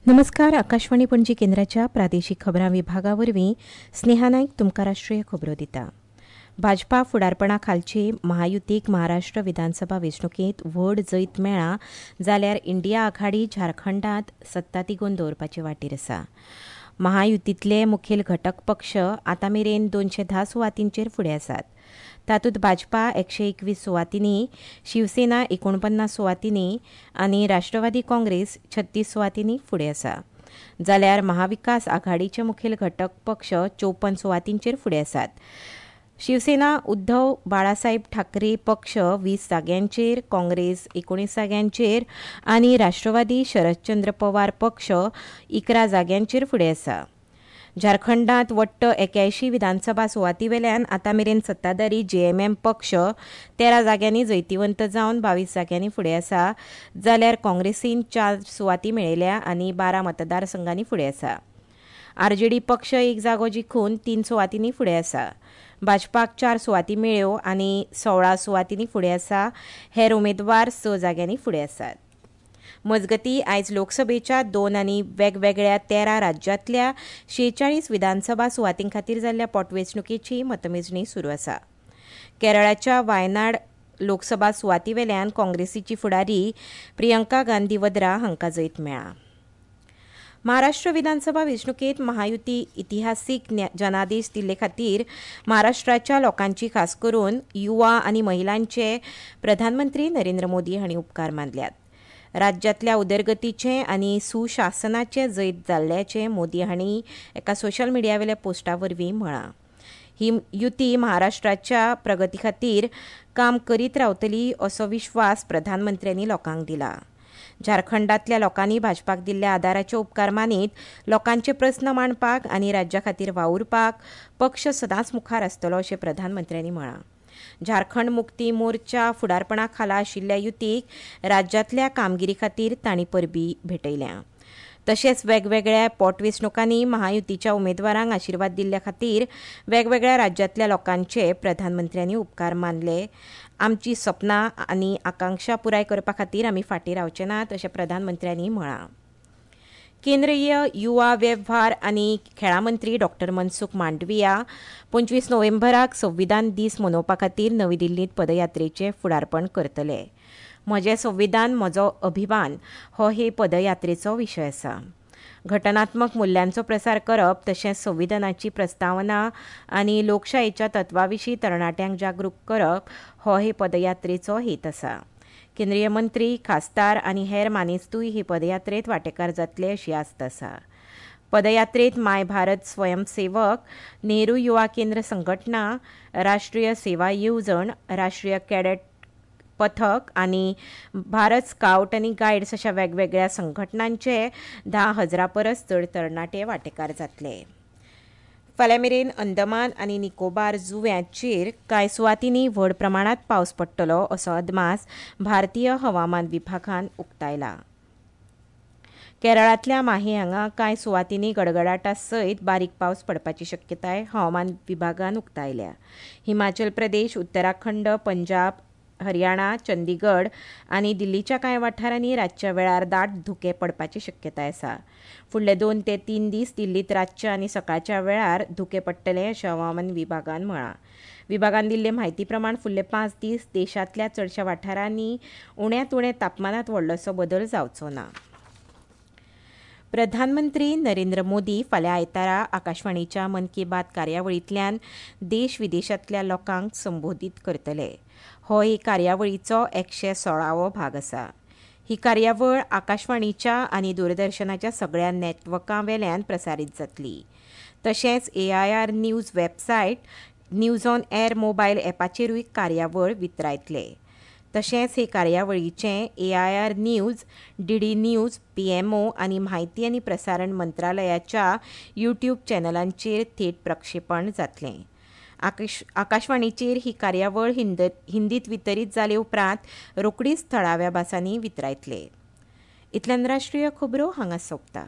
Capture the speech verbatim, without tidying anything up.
नमस्कार. आकाशवाणी पणजी केंद्राच्या प्रादेशीक खबरां विभागा वरवीं स्नेहा नायक तुमकां राष्ट्रीय खबरो दिता. भाजपा फुडारपणा खालची महायुतीक महाराष्ट्र विधानसभा वेंचणुकेंत व्हड जैत मेळ्ळां जाल्यार इंडिया आघाडी झारखंडांत सत्ता तिगोवन दवरपाचे वाटेर आसा. महायुतींतले मुखेल घटक पक्ष आतां मेरेन दोनशे धा सुवातींचेर फुडें आसात. तातूंत भाजपा एकशे एकवीस सुवातींनी, शिवसेना एकोणपन्नास सुवातींनी आनी राष्ट्रवादी काँग्रेस छत्तीस सुवातींनी फुडें आसा. जाल्यार महाविकास आघाडीचे मुखेल घटक पक्ष चौपन सुवातींचेर फुडें आसात. शिवसेना उद्धव बाळासाहेब ठाकरे पक्ष वीस जाग्यांचेर, काँग्रेस एकोणीस जाग्यांचेर आनी राष्ट्रवादी शरदचंद्र पवार पक्ष इकरा जाग्यांचेर फुडें आसा. झारखंडांत वट्ट एक्यायशीं विधानसभा सुवाती वेल्यान आतां मेरेन सत्ताधारी जेएमएम पक्ष तेरा जाग्यांनी जैतिवंत जावन बावीस जाग्यांनी फुडें आसा, जाल्यार काँग्रेसीन चार सुवाती मेळयल्या आनी बारा मतदारसंघांनी फुडें आसा. आरजेडी पक्ष एक जागो जिखून तीन सुवातींनी फुडें आसा. भाजपाक चार सुवाती मेळ्ळ्यो आनी सोळा सुवातींनी फुडें आसा. हेर उमेदवार स जाग्यांनी फुडें आसात. मजगतीं, आयज लोकसभेच्या दोन आनी वेगवेगळ्या तेरा राज्यांतल्या शेचाळीस विधानसभा सुवातीं खातीर जाल्ल्या पोटवेंचणुकेची मतमेजणी सुरू आसा. केरळाच्या वायनाड लोकसभा सुवाती वेल्यान काँग्रेसीची फुडारी प्रियंका गांधी वद्रा हांकां जैत मेळ्ळां. महाराष्ट्र विधानसभा वेंचणुकेंत महायुती इतिहासीक जनादेश दिल्ले खातीर महाराष्ट्राच्या लोकांची, खास करून युवा आनी महिलांचे प्रधानमंत्री नरेंद्र मोदी हांणी उपकार मानल्यात. राज्यांतल्या उदरगतीचें आनी सुशासनाचें जैत जाल्ल्याचें मोदी हांणी एका सोशल मिडियावेल्या पोस्टा वरवीं म्हळां. ही युती महाराष्ट्राच्या प्रगती खातीर काम करीत रावतली असो विश्वास प्रधानमंत्र्यांनी लोकांक दिला. झारखंडांतल्या लोकांनी भाजपाक दिल्ल्या आदाराचे उपकार मानीत लोकांचे प्रस्न मांडपाक आनी राज्या खातीर वावुरपाक पक्ष सदांच मुखार आसतलो अशें प्रधानमंत्र्यांनी म्हळां. झारखंड मुक्ती मोर्चा फुडारपणा खाला आशिल्ल्या युतीक राज्यांतल्या कामगिरी खातीर तांणी परबीं भेटयल्या. तशेंच वेगवेगळ्या पोटवेंचणुकांनी महायुतीच्या उमेदवारांक आशिर्वाद दिल्ल्या खातीर वेगवेगळ्या राज्यांतल्या लोकांचे प्रधानमंत्र्यांनी उपकार मानले. आमची सपनां आनी आकांक्षा पुराय करपा खातीर आमी फाटीं रावचे नात अशें प्रधानमंत्र्यांनी म्हळां. केंद्रीय युवा वेव्हार आनी खेळां मंत्री डॉक्टर मनसुख मांडविया पंचवीस नोव्हेंबराक संविधान दीस मनोवपा खातीर नवी दिल्लींत पदयात्रेचें फुडारपण करतले. म्हजें संविधान म्हजो अभिमान हो हे पदयात्रेचो विशय आसा. घटनात्मक मुल्यांचो प्रसार करप तशेंच संविधानाची प्रस्तावना आनी लोकशायेच्या तत्वा विशीं तरणाट्यांक जागरूक करप हो हे पदयात्रेचो हेत आसा. केंद्रीय मंत्री, खासदार आनी हेर मानेस्तूय हे पदयात्रेंत वांटेकार जातले अशी आस्त आसा. पदयात्रेंत माय भारत स्वयंसेवक, नेहरू युवा केंद्र संघटना, राष्ट्रीय सेवा येवजण, राष्ट्रीय कॅडेट पथक आनी भारत स्कावट आनी गायड्स अशा वेगवेगळ्या संघटनांचे धा हजारा परस चड तरणाटे वांटेकार जातले. फाल्यां मेरेन अंदमान आनी निकोबार जुंव्यांचेर कांय सुवातींनी व्हड प्रमाणांत पावस पडटलो असो अदमास भारतीय हवामान विभागान उक्तायला. केरळांतल्या माहे हांगा कांय सुवातींनी गडगडाटा सयत बारीक पावस पडपाची शक्यताय हवामान विभागान उक्तायल्या. हिमाचल प्रदेश, उत्तराखंड, पंजाब, हरियाणा, चंदीगड आनी दिल्लीच्या कांय वाठारांनी रातच्या वेळार दाट धुकें पडपाची शक्यताय आसा. फुडले दोन ते तीन दीस दिल्लींत रातच्या आनी सकाळच्या वेळार धुकें पडटलें अशें हवामान विभागान म्हळां. विभागान दिल्ले म्हायती प्रमाण फुडले पांच दीस देशांतल्या चडशा वाठारांनी उण्यांत उणें तापमानांत व्हडलोसो बदल जावचो ना. प्रधानमंत्री नरेंद्र मोदी फाल्यां आयतारा आकाशवाणीच्या मन की बात कार्यावळींतल्यान देश विदेशांतल्या लोकांक संबोधीत करतले. हो हे कार्यावळीचो एकशे सोळावो भाग आसा. ही कार्यावळ आकाशवाणीच्या आनी दूरदर्शनाच्या सगळ्या नॅटवर्कां वेल्यान प्रसारीत जातली. तशेंच A I R news website, news on air mobile ॲपाचेरूय कार्यावळ वितरायतले. तशेंच हे कार्यावळीचें A I R news, D D news, P M O आनी म्हायती आनी प्रसारण मंत्रालयाच्या यूट्यूब चॅनलांचेर थेट प्रक्षेपण जातलें. आकाश आकाशवाणीचेर ही कार्यावळ हिंद हिंदीत वितरीत जाले उपरांत रोखडीच थळाव्या भासांनी वितरायतले. इतल्यान राष्ट्रीय खबरो हांगा सोंपता.